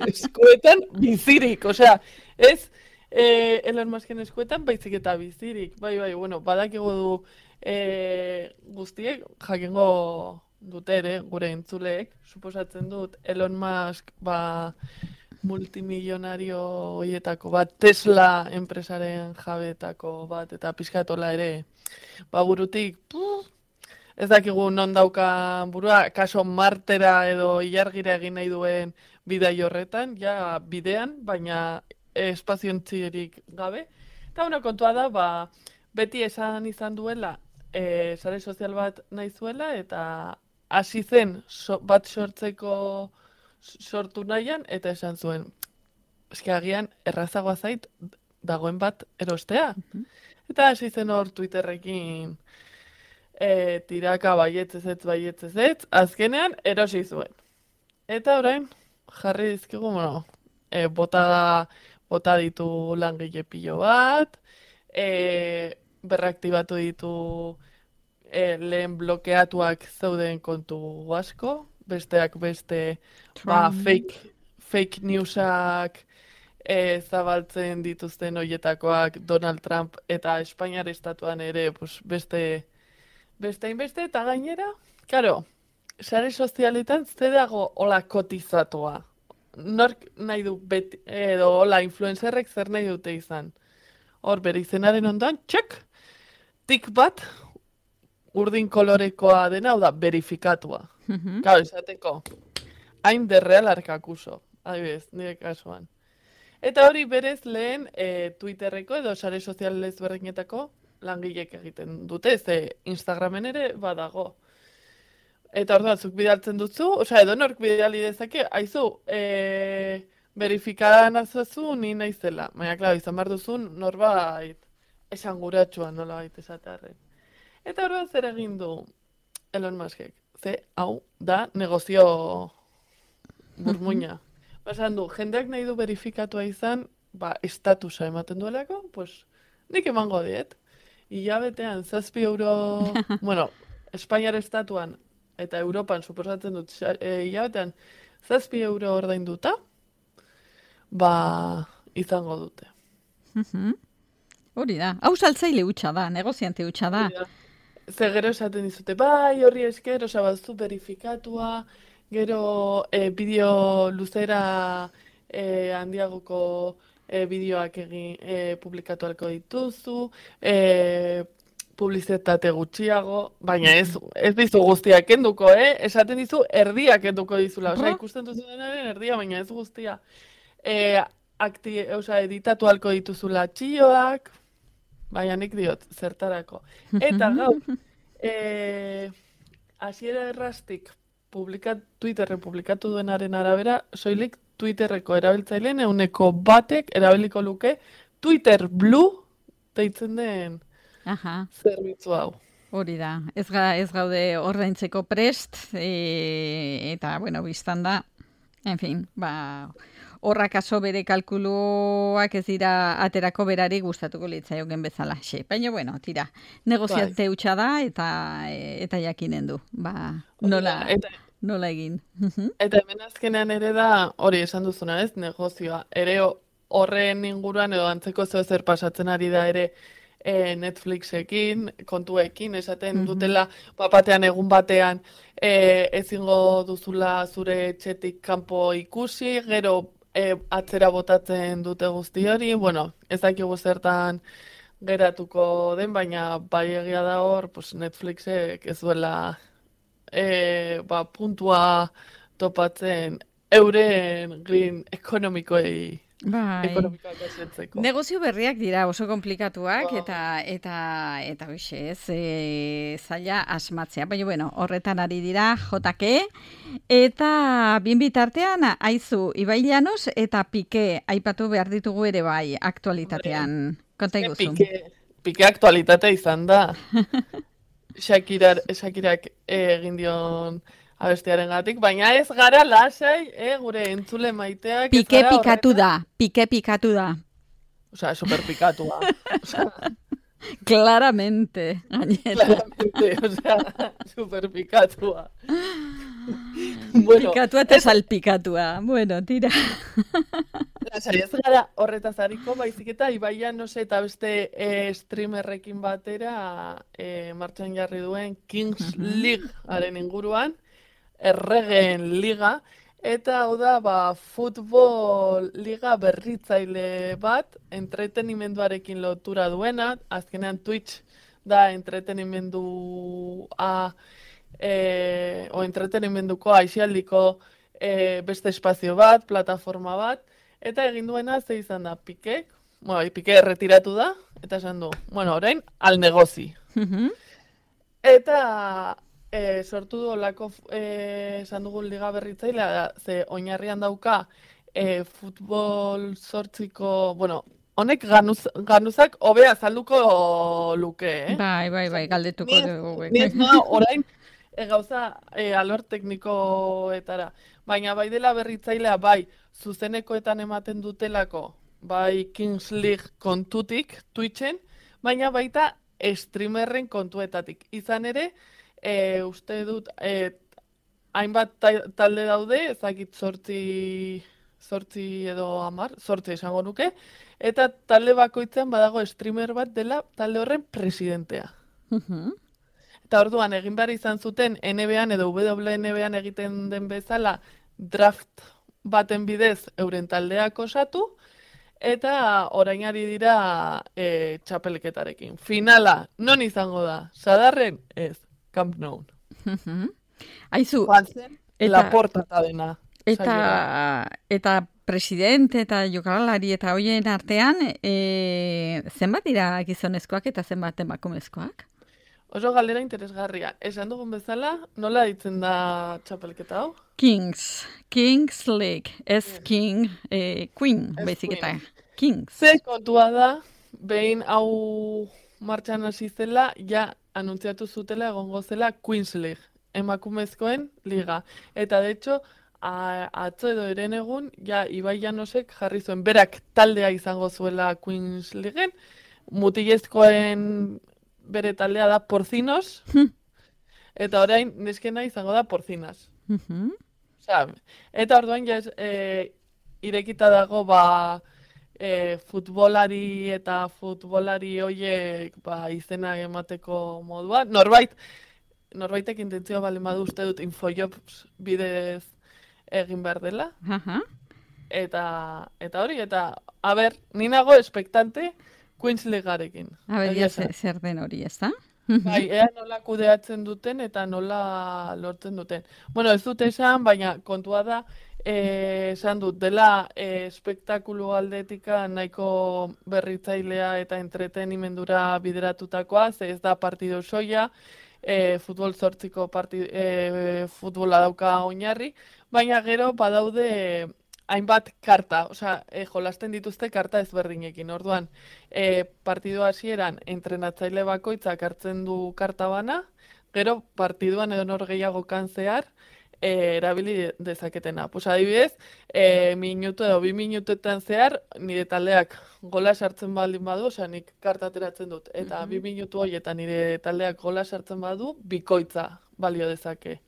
eskuetan bizirik, osea, ez Elon Musken eskuetan baizik eta bizirik. Bai, bueno, badakigu du guztiek jakingo dute ere, gure entzuleek, suposatzen dut Elon Musk multimilionario hoietako bat, Tesla enpresaren jabetako bat, eta pizkatola ere, burutik, ez dakigu non dauka burua, kaso Martera edo ilargira egin nahi duen bidai horretan, ja bidean, baina espaziontzirik gabe. Eta una kontua da, beti esan izan duela, sare sozial bat nahi zuela, eta hasi zen bat sortu nahian, eta esan zuen, eski agian errazagoa zait dagoen bat erostea. Eta hasi zen hor Twitterrekin tiraka baietzez, azkenean erosi zuen. Eta orain, jarri dizkigu, bota ditu langile pilo bat, berraktibatu ditu lehen blokeatuak zeuden kontu asko, besteak beste fake newsak zabaltzen dituzten hoietakoak Donald Trump eta Espainiar estatuan ere beste hainbeste, eta gainera, karo, sare sozialetan ze dago hola kotizatua. Nork nahi du beti, edo hola influencerrek zer nahi dute izan. Hor, bere izenaren ondoan, txek, tik bat, urdin kolorekoa dena, hau da, verifikatua. Karo, izateko, hain derreal arkakuso, adibidez, nire kasuan. Eta hori berez lehen Twitterreko edo sare sozial ezberdinetako langilek egiten dute, ze Instagramen ere badago. Eta orduan, zuk bidaltzen duzu, edo nork bidali dezake, aizu, verifikadan azozu ni naizela. Baina, klaro, izan behar duzun norbait esanguratsua nola baita esatearren. Eta orduan zer egin du Elon Muskek? Ze, hau, da negozio burmuina. Basan du, jendeak nahi du verifikatua izan, estatusa ematen duelako, nik emango diet. Hilabetean, €7, Espainiar estatuan eta Europan suposatzen dut, hilabetean, €7 ordainduta, izango dute. Hori da, hau saltzaile hutsa da, negoziante hutsa da. Ze gero esaten dizute, horri esker, baduzu verifikatua, gero bideo luzera handiagoko bideoak publikatu alko dituzu, publizitate gutxiago, baina ez dizu guztiak kenduko, esaten dizu erdiak kenduko dizula, ikusten duzu denaren erdia, baina ez guztia. Editatu alko dituzula txioak, baina nik diot, zertarako. Eta gaur, hasiera errastik Twitterren publikatu duenaren arabera, soilik Twitterreko erabiltzaileen 1% erabiliko luke Twitter Blue deitzen den zerbitzu hau. Hori da, ez gaude ordaintzeko prest, eta, biztan da, en fin, horrak aso bere kalkuluak ez dira aterako berari gustatuko litzaioken bezala. Baina, tira, negoziante hutsa da, eta jakinen du, nola egin. Eta hemen azkenean ere da, hori esan duzuna ez, negozioa. Ere horren inguruan edo antzeko zer pasatzen ari da ere Netflixekin, kontuekin, esaten dutela, batean egun batean ezingo duzula zure etxetik kanpo ikusi, gero atzera botatzen dute guzti hori, ez dakigu zertan geratuko den, baina bai egia da hor, Netflixek ez duela puntua topatzen euren green ekonomikoei negozio berriak dira oso komplikatuak eta zaila asmatzea. Baina, horretan ari dira JK eta bien bitartean aizu Ibai Llanos eta Piqué aipatu behar ditugu ere bai aktualitatean. Konta iguzu. Piqué aktualitatea izan da. Shakirak egin dion abestiaren gatik, baina ez gara lasai, gure entzule maiteak. Piqué pikatu da. Osea, super pikatua. Claramente, gainera. Claramente, osea, super pikatua. Bueno, pikatua eta salpikatua. Bueno, tira. lasai ez gara horretaz hariko, baizik eta Ibaia, no sé, eta beste streamerrekin batera martxan jarri duen Kings League-aren inguruan, erregeen liga, eta hau da, futbol liga berritzaile bat, entretenimenduarekin lotura duena, azkenean Twitch da entretenimendua, o entretenimenduko aisialdiko beste espazio bat, plataforma bat, eta egin duena ze izan da, Pikek, Pike erretiratu da, eta esan du, orain, al negozi. Eta sortu du olako esan dugun liga berritzailea da, ze oinarrian dauka futbol sortziko, honek ganuzak hobea azalduko luke, Bai, galdetuko dugu. Ni ez orain gauza alor teknikoetara, baina bai dela berritzailea, bai zuzenekoetan ematen dutelako, bai Kings League kontutik, Twitchen, baina baita streamerren kontuetatik. Izan ere, uste dut, hainbat talde daude, ezakit sortzi edo 10, sortzi esango nuke, eta talde bakoitzean badago streamer bat dela talde horren presidentea. Eta orduan, egin behar izan zuten NBA-an edo WNBA-an egiten den bezala draft baten bidez euren taldeak osatu, eta orain ari dira txapelketarekin. Finala, non izango da? Sadarren? Ez, Camp Nou. Aizu, Laporta eta dena. Eta presidente eta jokalari eta hoien artean, zenbat dira gizonezkoak eta zenbat emakumezkoak? Oso galdera interesgarria. Esan dugun bezala, nola ditzen da txapelketa hau? Kings League, ez King, Queen, baizik eta Kings. Ze kontua da, behin hau martxan hasi zela, ja anuntziatu zutela egongo zela Queens League, emakumezkoen liga. Eta de hecho, atzo edo eren egun, ja Ibai Llanosek jarri zuen, berak taldea izango zuela Queens Leagueen, mutilezkoen bere taldea da Porcinos, eta orain neskena izango da Porcinas. Eta orduan ja irekita dago futbolari eta futbolari hoiek izena emateko modua. Norbaitek intentzioa balen badu uste dut Infojobs bidez egin behar dela. Eta hori, a ber, ni nago espektante Queens Leaguearekin. A ber, zer den hori, ez da? Bai, ea nola kudeatzen duten eta nola lortzen duten. Bueno, ez dut esan, baina kontua da, esan dut, dela espektakulu aldetika nahiko berritzailea eta entretenimendura bideratutakoa, ze ez da partido soia, futbol zortziko futbola dauka oinarri, baina gero badaude hainbat karta, jolasten dituzte karta ezberdinekin. Orduan, partidu hasieran entrenatzaile bakoitzak hartzen du karta bana, gero partiduan edo nor gehiago zehar erabili dezaketena. Adibidez, minutu edo 2 minutuetan zehar, nire taldeak gola sartzen baldin badu, nik karta ateratzen dut, eta 2 minutu horietan nire taldeak gola sartzen badu, bikoitza balio dezake.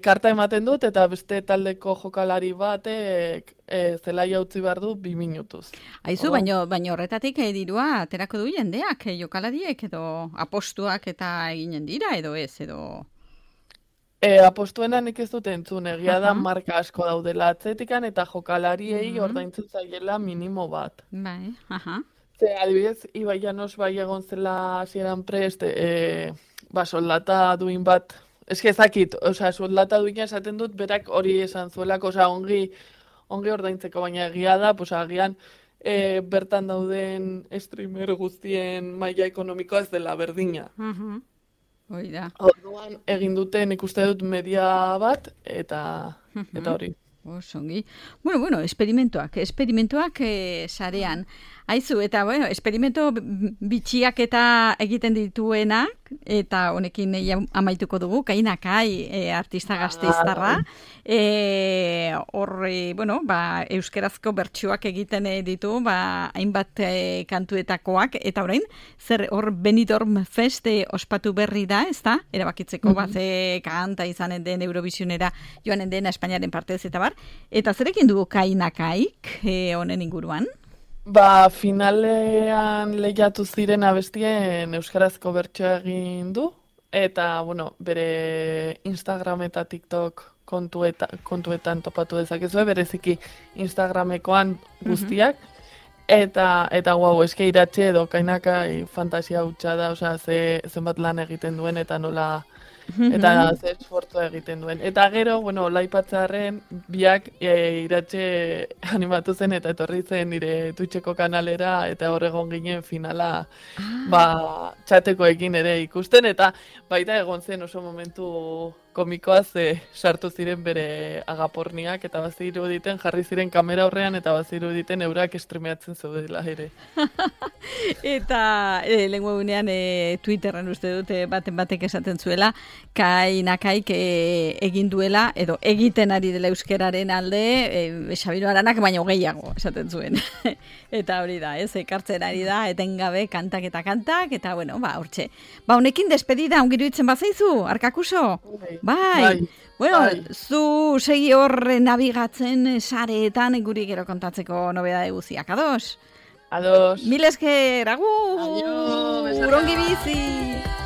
Karta ematen dut, eta beste taldeko jokalari batek zelaia utzi behar du 2 minutuz. Aizu, baina horretatik dirua aterako du jendeak, jokalariek edo apostuak eta eginen dira, edo ez, edo... Apostuena nik ez dut entzun, egia da marka asko daudela atzetikan, eta jokalariei ordaintzen zaiela minimo bat. Bai, Ze, adibidez, Ibai Llanos bai egon zela hasieran prest, soldata duin bat, ezakit, soldata duina esaten dut, berak hori esan zuelako, ongi ordaintzeko, baina egia da, agian bertan dauden streamer guztien maila ekonomikoa ez dela berdina. Hoi da. Orduan egin duten ikuste dut media bat, eta hori. Osongi. Bueno, esperimentuak sarean. Aizu, eta bueno, experimento bitxiak eta egiten dituenak, eta honekin amaituko dugu, Kainakai artista gazteiztarra, horre, bueno, euskerazko bertsuak egiten ditu, hainbat kantuetakoak, eta orain, zer hor Benidorm Fest ospatu berri da, ez da? Erabakitzeko ze kanta izanen den Eurovisionera joanen den Espainiaren partez eta bar, eta zerekin dugu Kainakaik honen inguruan? Finalean lehiatu ziren abestien euskarazko bertsoa egin du, eta, bueno, bere Instagram eta TikTok kontuetan topatu dezakezue, bereziki Instagramekoan guztiak, eta guau, eske iratxe edo Kainakai fantasia hutsa da, osea, zenbat lan egiten duen, eta nola, eta ze esfortzua egiten duen. Eta gero, bueno, laipatzearen biak iratxe animatu zen eta etorri zen nire Twitcheko kanalera eta hor egon ginen finala txatekoekin ere ikusten eta baita egon zen oso momentu komikoa sartu ziren bere agaporniak eta baziru diten jarri ziren kamera horrean eta baziru diten eurak streameatzen zeudela ere. Eta lengua gunean Twitterren uste dute batek esaten zuela Kainakaik egin duela edo egiten ari dela euskeraren alde Xabiro Aranak baino gehiago esaten zuen. Eta hori da, ekartzen ari da etengabe kantak eta bueno, hortxe. Honekin despedida ongiruitzen bazaizu, Arkakuso? Bai. Bueno, zu segi horre nabigatzen sareetan guri gero kontatzeko nobedade guziak. Ados? Ados. Mil esker, agur! Adio! Ongi bizi!